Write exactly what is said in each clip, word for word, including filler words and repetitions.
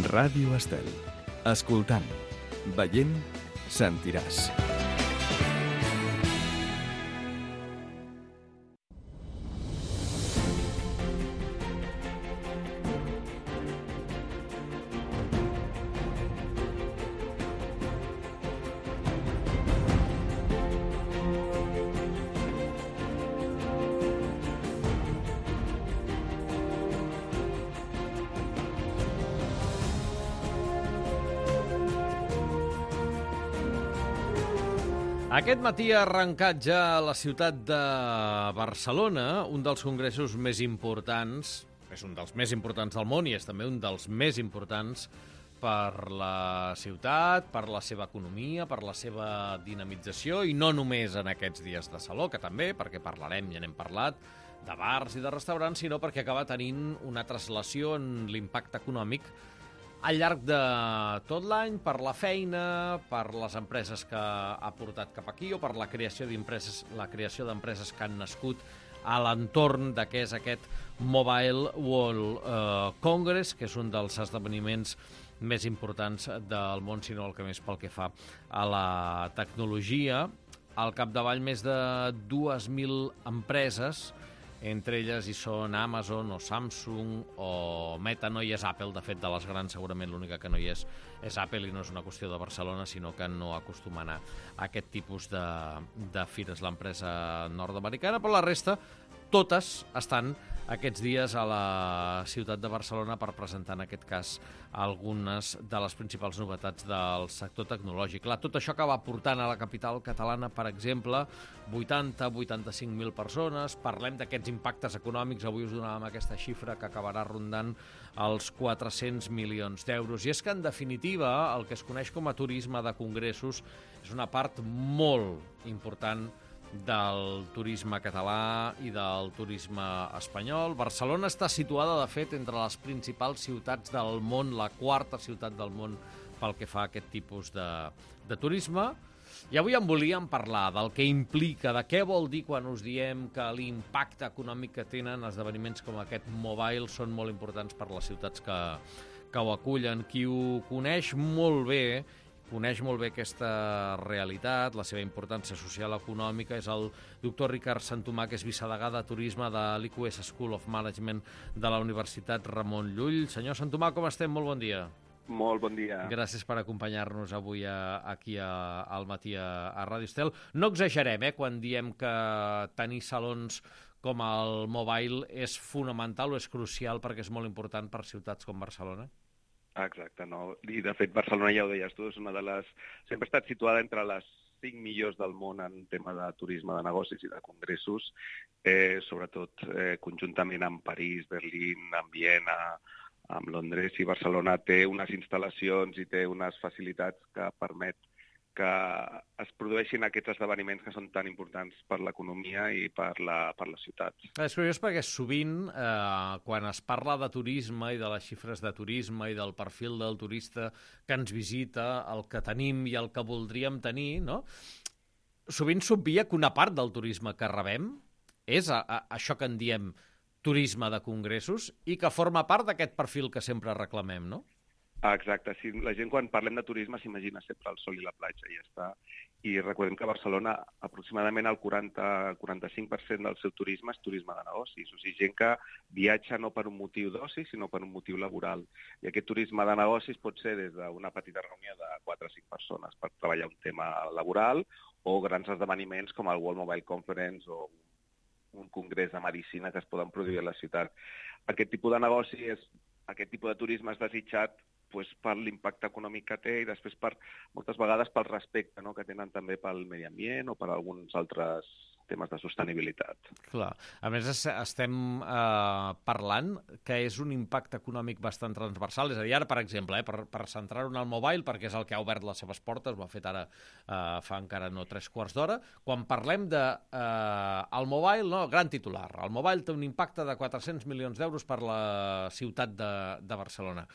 Ràdio Estel. Escoltant, veient, sentiràs. Aquest matí ha arrencat ja a la ciutat de Barcelona un dels congressos més importants, és un dels més importants del món i és també un dels més importants per la ciutat, per la seva economia, per la seva dinamització, i no només en aquests dies de Saló, que també, perquè parlarem, ja n'hem parlat, de bars i de restaurants, sinó perquè acaba tenint una translació en l'impacte econòmic al llarg de tot l'any, per la feina, per les empreses que ha portat cap aquí o per la creació d'empreses, la creació d'empreses que han nascut a l'entorn de què és aquest Mobile World eh, Congress, que és un dels esdeveniments més importants del món, sinó el que més pel que fa a la tecnologia. Al capdavall més de dues mil empreses, entre elles hi són Amazon o Samsung o Meta. No hi és Apple, de fet, de les grans segurament l'única que no hi és és Apple, i no és una qüestió de Barcelona, sinó que no acostuma a anar a aquest tipus de, de fires l'empresa nord-americana, però la resta totes estan aquests dies a la ciutat de Barcelona per presentar, en aquest cas, algunes de les principals novetats del sector tecnològic. Clar, tot això acaba portant a la capital catalana, per exemple, vuitanta a vuitanta-cinc mil persones. Parlem d'aquests impactes econòmics. Avui us donàvem aquesta xifra que acabarà rondant els quatre-cents milions d'euros. I és que, en definitiva, el que es coneix com a turisme de congressos és una part molt important del turisme català i del turisme espanyol. Barcelona està situada, de fet, entre les principals ciutats del món, la quarta ciutat del món pel que fa a aquest tipus de, de turisme. I avui en volíem parlar del que implica, de què vol dir quan us diem que l'impacte econòmic que tenen esdeveniments com aquest Mobile són molt importants per les ciutats que, que ho acullen. Qui ho coneix molt bé, coneix molt bé aquesta realitat, la seva importància social i econòmica, és el doctor Ricard Santomà, que és vicedegà de turisme de l'I Q S School of Management de la Universitat Ramon Llull. Senyor Santomà, com estem? Molt bon dia. Molt bon dia. Gràcies per acompanyar-nos avui a, aquí a, al matí a, a Ràdio Estel. No exagerem, eh, quan diem que tenir salons com el Mobile és fonamental o és crucial perquè és molt important per ciutats com Barcelona? Exacte, no? I de fet Barcelona, ja ho deies tu, és una de les... sempre ha estat situada entre les cinc millors del món en tema de turisme de negocis i de congressos, eh, sobretot eh, conjuntament amb París, Berlín, amb Viena, amb Londres, i Barcelona té unes instal·lacions i té unes facilitats que permet que es produeixin aquests esdeveniments que són tan importants per l'economia i per la, per les ciutats. És curiós perquè sovint, eh, quan es parla de turisme i de les xifres de turisme i del perfil del turista que ens visita, el que tenim i el que voldríem tenir, no? Sovint s'obvia que una part del turisme que rebem és a, a, això que en diem turisme de congressos i que forma part d'aquest perfil que sempre reclamem, no? Exacte, sí, la gent quan parlem de turisme s'imagina sempre el sol i la platja i ja està. I recordem que a Barcelona aproximadament el quaranta a quaranta-cinc per cent del seu turisme és turisme de negocis, o sigui, gent que viatja no per un motiu d'oci, sinó per un motiu laboral. I aquest turisme de negocis pot ser des d'una petita reunió de quatre o cinc persones per treballar un tema laboral o grans esdeveniments com el World Mobile Conference o un congrés de medicina que es poden produir a la ciutat. Aquest tipus de negoci, és, aquest tipus de turisme és desitjat pues, per l'impacte econòmic que té i després per, moltes vegades pel respecte, no?, que tenen també pel medi ambient o per alguns altres temes de sostenibilitat. Clar. A més, estem eh, parlant que és un impacte econòmic bastant transversal. És a dir, ara, per exemple, eh, per, per centrar-ho en el Mobile, perquè és el que ha obert les seves portes, ho ha fet ara eh, fa encara no tres quarts d'hora, quan parlem de eh, el Mobile, no, gran titular, el Mobile té un impacte de quatre-cents milions d'euros per la ciutat de, de Barcelona.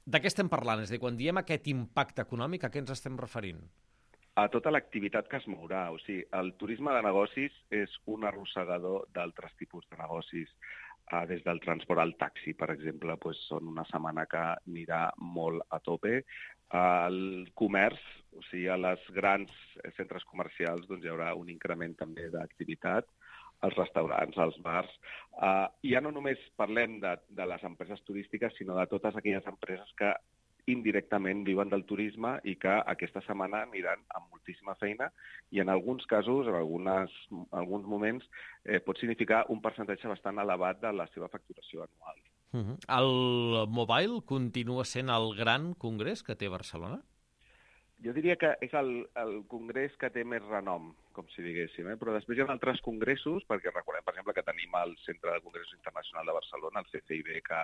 De què estem parlant? És a dir, quan diem aquest impacte econòmic, a què ens estem referint? A tota l'activitat que es mourà. O sigui, el turisme de negocis és un arrossegador d'altres tipus de negocis. Uh, des del transport al taxi, per exemple, doncs són una setmana que anirà molt a tope. Uh, el comerç, o sigui, a les grans centres comercials doncs hi haurà un increment també d'activitat, als restaurants, als bars. Uh, I ja no només parlem de, de les empreses turístiques, sinó de totes aquelles empreses que indirectament viuen del turisme i que aquesta setmana aniran amb moltíssima feina i en alguns casos, en algunes, en alguns moments, eh, pot significar un percentatge bastant elevat de la seva facturació anual. Uh-huh. El Mobile continua sent el gran congrés que té Barcelona? Jo diria que és el, el congrés que té més renom, com si diguéssim, eh? Però després hi ha altres congressos, perquè recordem, per exemple, que tenim el Centre de Congressos Internacional de Barcelona, el C C I B, que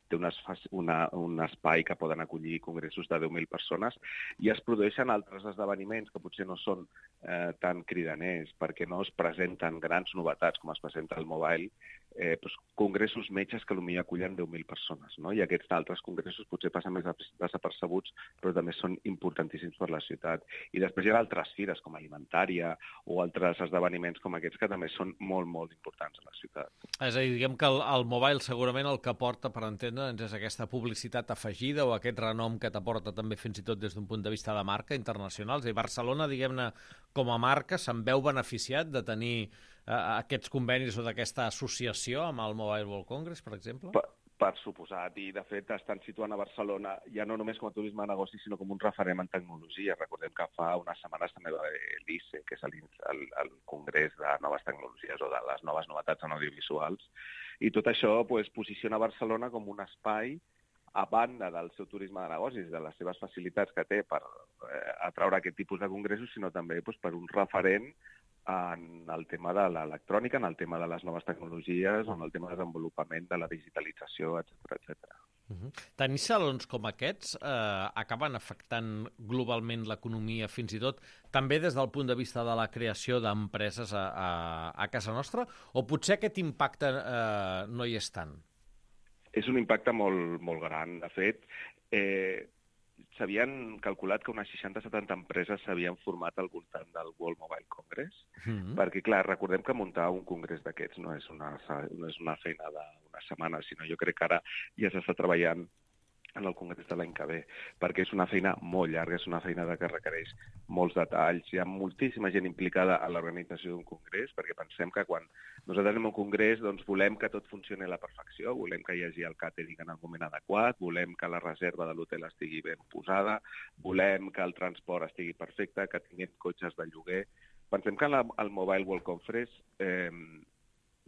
té una, una, un espai que poden acollir congressos de deu mil persones, i es produeixen altres esdeveniments que potser no són eh, tan cridaners, perquè no es presenten grans novetats com es presenta el Mobile, eh, doncs, congressos metges que potser acullen deu mil persones, no? I aquests altres congressos potser passen més desapercebuts, però també són importantíssims per la ciutat. I després hi ha altres fires, com alimentària, o altres esdeveniments com aquests, que també són molt, molt importants a la ciutat. És a dir, diguem que el, el Mobile segurament el que porta, per entendre'ns, és aquesta publicitat afegida o aquest renom que t'aporta també fins i tot des d'un punt de vista de marca internacional. I Barcelona, diguem-ne, com a marca, se'n veu beneficiat de tenir eh, aquests convenis o d'aquesta associació amb el Mobile World Congress, per exemple? Per, per suposat, i de fet estan situant a Barcelona ja no només com a turisme de negoci, sinó com un referent en tecnologia. Recordem que fa unes setmanes també va haver l'I C E, que és el, el, el Congrés de Noves Tecnologies o de les noves novetats en audiovisuals, i tot això pues, posiciona Barcelona com un espai a banda del seu turisme de negocis, de les seves facilitats que té per eh, atraure aquest tipus de congressos, sinó també pues, per un referent en el tema de l'electrònica, en el tema de les noves tecnologies, en el tema de desenvolupament de la digitalització, etcètera, etcètera. Uh-huh. Tenir salons com aquests eh, acaben afectant globalment l'economia, fins i tot també des del punt de vista de la creació d'empreses a, a, a casa nostra, o potser aquest impacte eh, no hi és tant? És un impacte molt, molt gran. De fet, eh, s'havien calculat que unes seixanta a setanta empreses s'havien format al voltant del World Mobile Congress, mm-hmm. perquè, clar, recordem que muntar un congrés d'aquests no és una, no és una feina d'una setmana, sinó jo crec que ara ja s'està treballant en el congrés de l'any que ve, perquè és una feina molt llarga, és una feina que requereix molts detalls, hi ha moltíssima gent implicada a l'organització d'un congrés, perquè pensem que quan nosaltres anem a un congrés doncs volem que tot funcioni a la perfecció, volem que hi hagi el càtering en el moment adequat, volem que la reserva de l'hotel estigui ben posada, volem que el transport estigui perfecte, que tinguem cotxes de lloguer. Pensem que al Mobile World Congress eh,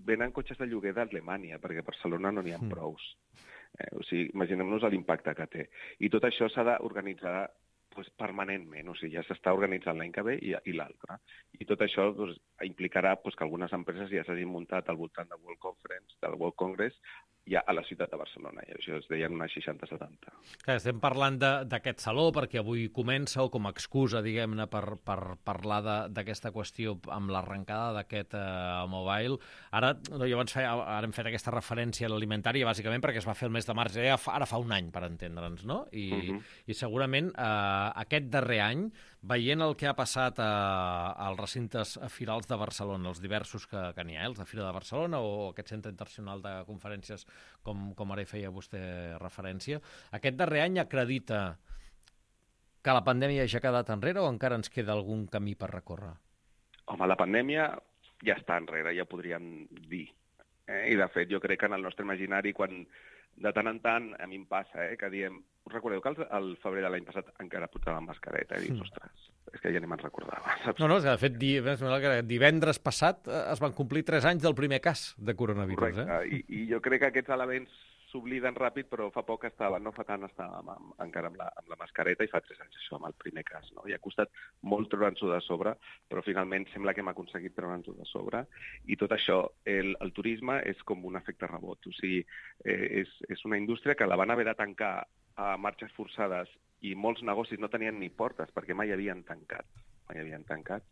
venen cotxes de lloguer d'Alemanya, perquè a Barcelona no n'hi ha prous. Eh, o sigui, imaginem-nos l'impacte que té. I tot això s'ha d'organitzar pues, permanentment, o sigui, ja s'està organitzant l'any que ve i, i l'altre. I tot això pues, implicarà pues, que algunes empreses ja s'hagin muntat al voltant del World Conference, del World Congress, ja a la ciutat de Barcelona, i això es deien unes seixanta a setanta. Clar, estem parlant d'aquest saló perquè avui comença, o com a excusa, diguem-ne, per, per parlar d'aquesta qüestió amb l'arrencada d'aquest eh, Mobile. Ara, no, jo abans feia, ara hem fet aquesta referència a l'alimentària, bàsicament perquè es va fer el mes de març, ja ara fa un any, per entendre'ns, no? I, uh-huh. i segurament eh, aquest darrer any, veient el que ha passat a, als recintes firals de Barcelona, els diversos que, que n'hi ha, els de Fira de Barcelona o aquest centre internacional de conferències, com, com ara hi feia vostè referència, aquest darrer any acredita que la pandèmia ja ha quedat enrere o encara ens queda algun camí per recórrer? Home, la pandèmia ja està enrere, ja podríem dir. Eh? I, de fet, jo crec que en el nostre imaginari, quan de tant en tant, a mi em passa, eh, que diem, us recordeu que al febrer de l'any passat encara portava mascareta? I dius, mm. ostres, és que ja ni me'n recordava, saps? No, no, és que de fet di, divendres passat es van complir tres anys del primer cas de coronavirus. Correcte, eh? I, i jo crec que aquests elements s'obliden ràpid, però fa poc estava, no fa tant estàvem amb, encara amb la, amb la mascareta i fa tres anys això, amb el primer cas, no? I ha costat molt treure'ns-ho de sobre, però finalment sembla que hem aconseguit treure'ns-ho de sobre, i tot això, el, el turisme és com un efecte rebot, o sigui, eh, és, és una indústria que la van haver de tancar a marxes forçades i molts negocis no tenien ni portes perquè mai havien tancat, mai havien tancat,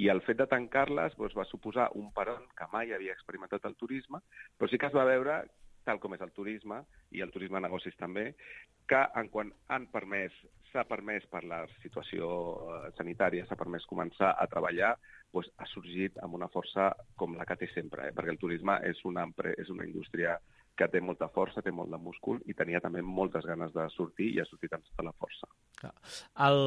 i el fet de tancar-les doncs, va suposar un peron que mai havia experimentat el turisme, però sí que es va veure tal com és el turisme, i el turisme de negocis també, que en quan han permès, s'ha permès per la situació sanitària, s'ha permès començar a treballar, doncs ha sorgit amb una força com la que té sempre, eh? Perquè el turisme és una, és una indústria que té molta força, té molt de múscul i tenia també moltes ganes de sortir i ha sortit amb tota la força. El...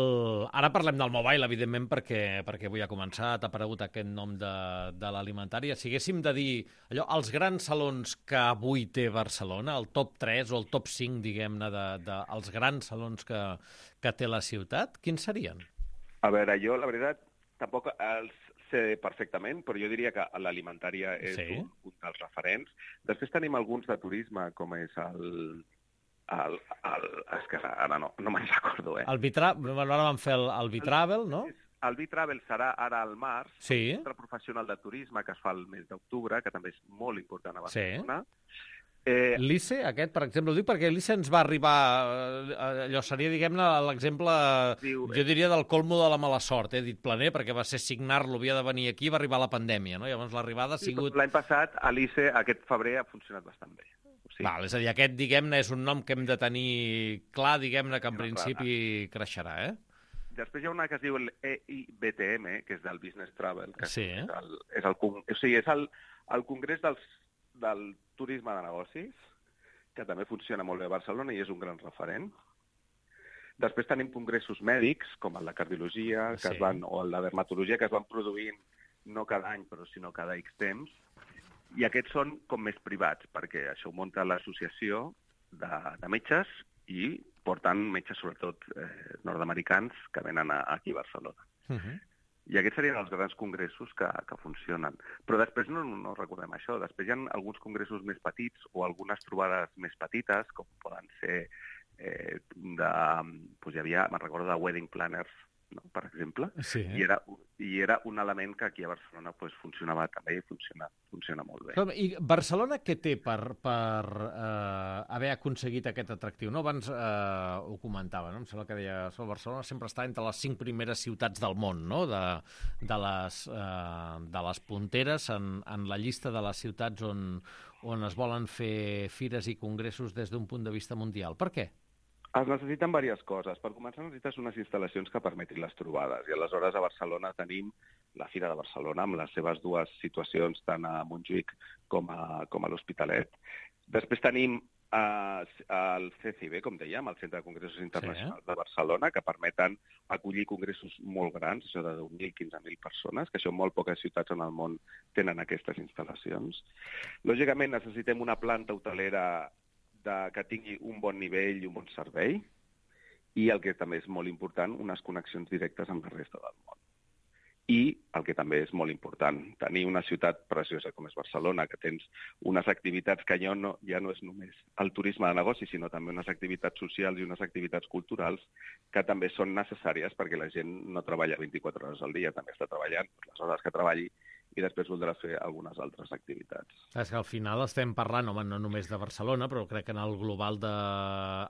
Ara parlem del mobile, evidentment, perquè, perquè avui ha començat, ha aparegut aquest nom de, de l'alimentària. Si haguéssim de dir allò, els grans salons que avui té Barcelona, el top tres o el top cinc, diguem-ne, de, de, els grans salons que, que té la ciutat, quins serien? A veure, jo, la veritat, tampoc els sé perfectament, però jo diria que l'alimentària és sí. un, un dels referents. Després tenim alguns de turisme, com és el... el, el és que ara no, no me'n recordo, eh? El Vitra... Ara vam fer el, el Vitravel, no? El Vitravel serà ara al març, sí. un centre professional de turisme que es fa el mes d'octubre, que també és molt important a Barcelona. Sí. Eh... L'I C E, aquest, per exemple, ho dic perquè l'I C E ens va arribar, allò seria, diguem-ne, l'exemple, Diu, jo diria, del colmo de la mala sort, he dit planer, perquè va ser signar-lo, havia de venir aquí, va arribar la pandèmia, no? Llavors l'arribada ha sigut... Sí, l'any passat, a l'I C E, aquest febrer, ha funcionat bastant bé. Sí. Val, és a dir, aquest, diguem-ne, és un nom que hem de tenir clar, diguem-ne, que en principi creixerà, eh? Després hi ha una que es diu l'E I B T M, que és del Business Travel, que sí. és, el, és, el, o sigui, és el, el congrés dels, del turisme de negocis, que també funciona molt bé a Barcelona i és un gran referent. Després tenim congressos mèdics, com el de cardiologia que sí. es van, o el de dermatologia, que es van produint no cada any, però sinó cada X temps. I aquests són com més privats, perquè això ho munta l'associació de, de metges i porten metges, sobretot eh, nord-americans, que venen a, aquí a Barcelona. Uh-huh. I aquests serien els grans congressos que, que funcionen. Però després no, no recordem això. Després hi ha alguns congressos més petits o algunes trobades més petites, com poden ser eh, de... Doncs hi havia, me'n recordo, de wedding planners, no? Per exemple, sí. I, era, i era un element que aquí a Barcelona pues, funcionava també i funciona, funciona molt bé. I Barcelona què té per, per eh, haver aconseguit aquest atractiu? No? Abans eh, ho comentava, no? Em sembla que deia que Barcelona sempre està entre les cinc primeres ciutats del món, no? de, de, les, eh, de les punteres en, en la llista de les ciutats on, on es volen fer fires i congressos des d'un punt de vista mundial. Per què? Es necessiten diverses coses. Per començar, necessites unes instal·lacions que permetin les trobades. I aleshores a Barcelona tenim la Fira de Barcelona, amb les seves dues situacions, tant a Montjuïc com a, com a l'Hospitalet. Després tenim eh, el C C I B, com dèiem, el Centre de Congressos Internacionals sí. de Barcelona, que permeten acollir congressos molt grans, això de deu mil a quinze mil persones, que això molt poques ciutats en el món tenen aquestes instal·lacions. Lògicament, necessitem una planta hotelera de, que tingui un bon nivell i un bon servei, i el que també és molt important, unes connexions directes amb la resta del món. I el que també és molt important, tenir una ciutat preciosa com és Barcelona, que tens unes activitats que ja no, ja no és només el turisme de negoci, sinó també unes activitats socials i unes activitats culturals que també són necessàries perquè la gent no treballa vint-i-quatre hores al dia, també està treballant les hores que treballi i després voldrà fer algunes altres activitats. És que al final estem parlant, home, no només de Barcelona, però crec que en el global de...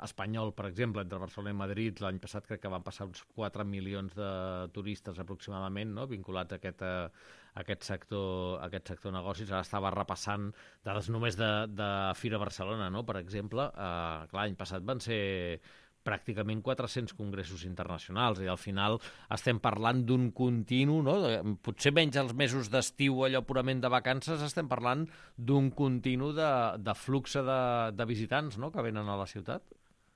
espanyol, per exemple, entre Barcelona i Madrid, l'any passat crec que van passar uns quatre milions de turistes aproximadament, no?, vinculats a aquest, a aquest sector, a aquest sector negocis. Ara estava repassant dades només de, de Fira Barcelona, no?, per exemple. Eh, clar, l'any passat van ser pràcticament quatre-cents congressos internacionals i al final estem parlant d'un continu, no? Potser menys els mesos d'estiu, allò purament de vacances, estem parlant d'un continu de, de flux de, de visitants, no?, que venen a la ciutat.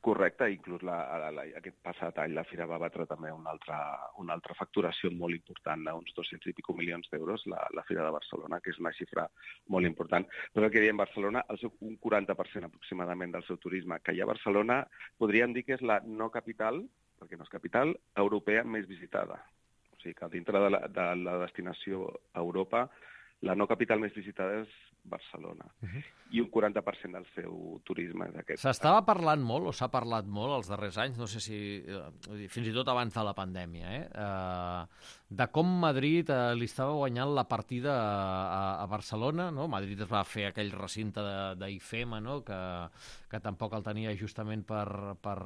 Correcte, inclús la, la, aquest passat any la Fira va batre també una altra, una altra facturació molt important, d'uns dos-cents i pico milions d'euros, la, la Fira de Barcelona, que és una xifra molt important. Però el que diem, Barcelona, el seu, un quaranta per cent aproximadament del seu turisme que hi ha a Barcelona, podríem dir que és la no capital, perquè no és capital, europea més visitada. O sigui que dintre de la, de la destinació a Europa, la no capital més visitada és Barcelona. Uh-huh. I un quaranta per cent del seu turisme és aquest. S'estava parlant molt, o s'ha parlat molt els darrers anys, no sé si... fins i tot abans de la pandèmia, eh? eh de com Madrid eh, li estava guanyant la partida a, a Barcelona, no? Madrid es va fer aquell recinte d'I F E M A, no?, que, que tampoc el tenia justament per, per,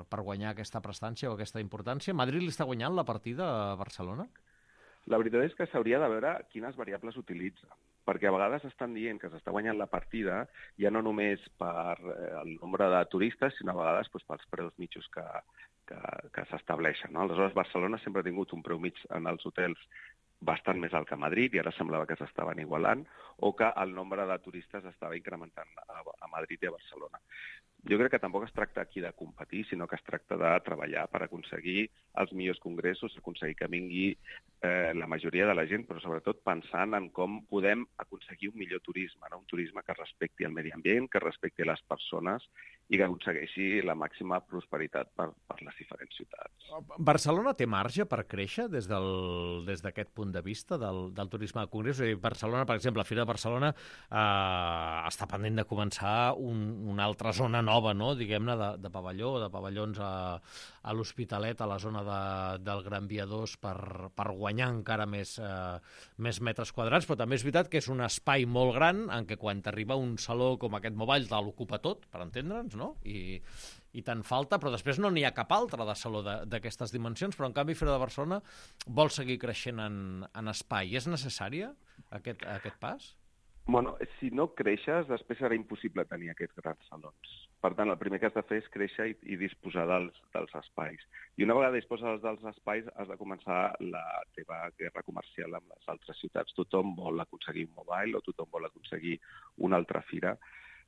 per guanyar aquesta prestància o aquesta importància. Madrid li està guanyant la partida a Barcelona? La veritat és que s'hauria de veure quines variables utilitza. perquè a vegades estan dient que s'està guanyant la partida ja no només per el nombre de turistes, sinó a vegades doncs, pels preus mitjos que, que, que s'estableixen. No? Aleshores, Barcelona sempre ha tingut un preu mig en els hotels bastant més alt que Madrid, i ara semblava que s'estaven igualant, o que el nombre de turistes estava incrementant a, a Madrid i a Barcelona. Jo crec que tampoc es tracta aquí de competir, sinó que es tracta de treballar per aconseguir els millors congressos, aconseguir que vingui eh, la majoria de la gent, però sobretot pensant en com podem aconseguir un millor turisme, no? Un turisme que respecti el medi ambient, que respecti les persones i que aconsegueixi la màxima prosperitat per, per les diferents ciutats. Barcelona té marge per créixer des del, des d'aquest punt de vista del, del turisme de congressos? És a dir, Barcelona, per exemple, la Fira de Barcelona eh, està pendent de començar un, una altra zona nova, no? Diguem-ne, de, de pavelló, de pavellons a, a l'Hospitalet, a la zona de, del Gran Via dos, per, per guanyar encara més, eh, més metres quadrats, però també és veritat que és un espai molt gran en què quan t'arriba un saló com aquest Mobile te l'ocupa tot, per entendre'ns, no? I, i te'n falta, però després no n'hi ha cap altre de saló d'aquestes dimensions, però en canvi Fira de Barcelona vol seguir creixent en, en espai. És necessària aquest, aquest pas? Bueno, si no creixes, després serà impossible tenir aquests grans salons. Per tant, el primer que has de fer és créixer i, i disposar dels, dels espais. I una vegada disposes dels espais, has de començar la teva guerra comercial amb les altres ciutats. Tothom vol aconseguir un Mobile o tothom vol aconseguir una altra fira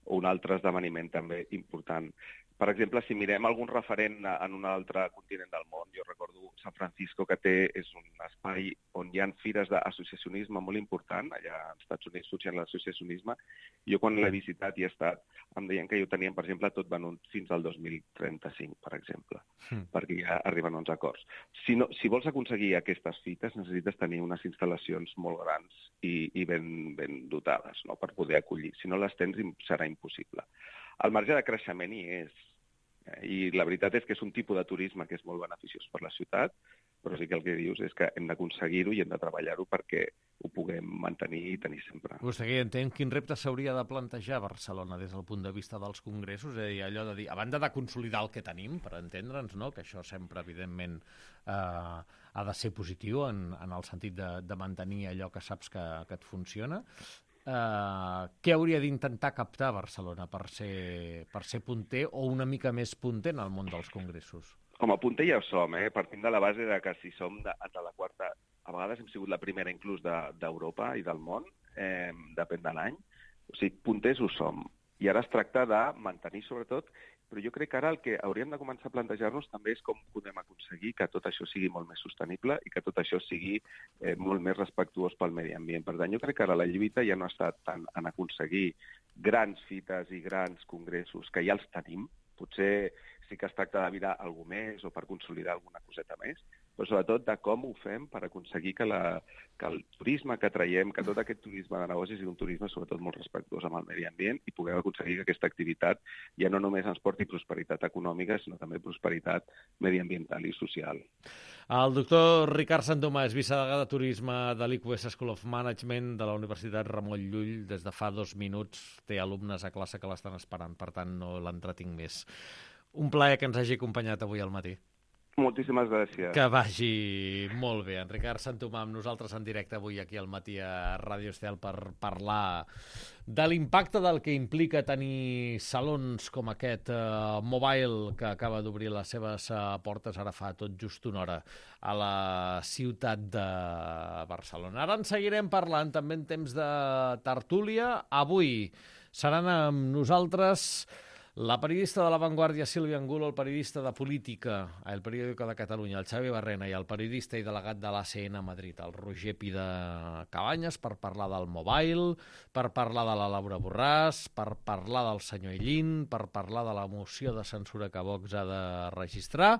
o un altre esdeveniment també important. Per exemple, si mirem algun referent en un altre continent del món, jo recordo San Francisco, que té, és un espai on hi ha fires d'associacionisme molt important, allà als Estats Units funciona l'associacionisme. Jo quan l'he visitat i he estat, em deien que ho tenien, per exemple, tot venut fins al dos mil trenta-cinc, per exemple, mm. perquè ja arriben uns acords. Si, no, si vols aconseguir aquestes fites, necessites tenir unes instal·lacions molt grans i, i ben, ben dotades, no?, per poder acollir. Si no les tens, serà impossible. El marge de creixement hi és, i la veritat és que és un tipus de turisme que és molt beneficiós per la ciutat, però sí que el que dius és que hem d'aconseguir-ho i hem de treballar-ho perquè ho puguem mantenir i tenir sempre. Vostè que entén quin repte s'hauria de plantejar a Barcelona des del punt de vista dels congressos, és a dir, allò de dir, a banda de consolidar el que tenim, per entendre'ns, no?, que això sempre, evidentment, eh, ha de ser positiu en, en el sentit de, de mantenir allò que saps que, que et funciona. Uh, què hauria d'intentar captar Barcelona per ser, per ser punter o una mica més punter en el món dels congressos? Com a punter ja ho som, eh? Partint de la base de que si som de, de la quarta, a vegades hem sigut la primera inclús d'Europa de, i del món, eh, depèn de l'any. O sigui, punters ho som. I ara es tracta de mantenir, sobretot, però jo crec que ara el que hauríem de començar a plantejar-nos també és com podem aconseguir que tot això sigui molt més sostenible i que tot això sigui eh, molt més respectuós pel medi ambient. Per tant, jo crec que ara la lluita ja no ha estat tant en aconseguir grans fites i grans congressos, que ja els tenim. Potser sí que es tracta de mirar alguna més o per consolidar alguna coseta més, però sobretot de com ho fem per aconseguir que, la, que el turisme que traiem, que tot aquest turisme de negocis sigui un turisme sobretot molt respectuós amb el medi ambient i puguem aconseguir que aquesta activitat ja no només ens porti prosperitat econòmica, sinó també prosperitat mediambiental i social. El doctor Ricard Santomàs, vicedegà de Turisme de l'I Q S School of Management de la Universitat Ramon Llull, des de fa dos minuts té alumnes a classe que l'estan esperant, per tant no l'entretinc més. Un plaer que ens hagi acompanyat avui al matí. Moltíssimes gràcies. Que vagi molt bé. En Ricard Santomà amb nosaltres en directe avui aquí al matí a Ràdio Estel per parlar de l'impacte del que implica tenir salons com aquest uh, Mobile que acaba d'obrir les seves uh, portes ara fa tot just una hora a la ciutat de Barcelona. Ara en seguirem parlant també en temps de tertúlia. Avui seran amb nosaltres la periodista de La Vanguardia, Sílvia Angulo, el periodista de política, el periòdico de Catalunya, el Xavi Barrena, i el periodista i delegat de l'A C N a Madrid, el Roger Pida Cabanyes, per parlar del Mobile, per parlar de la Laura Borràs, per parlar del senyor Illín, per parlar de la moció de censura que Vox ha de registrar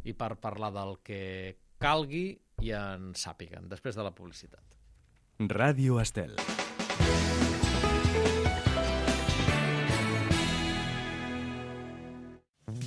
i per parlar del que calgui i en sàpiguen, després de la publicitat. Ràdio Estel.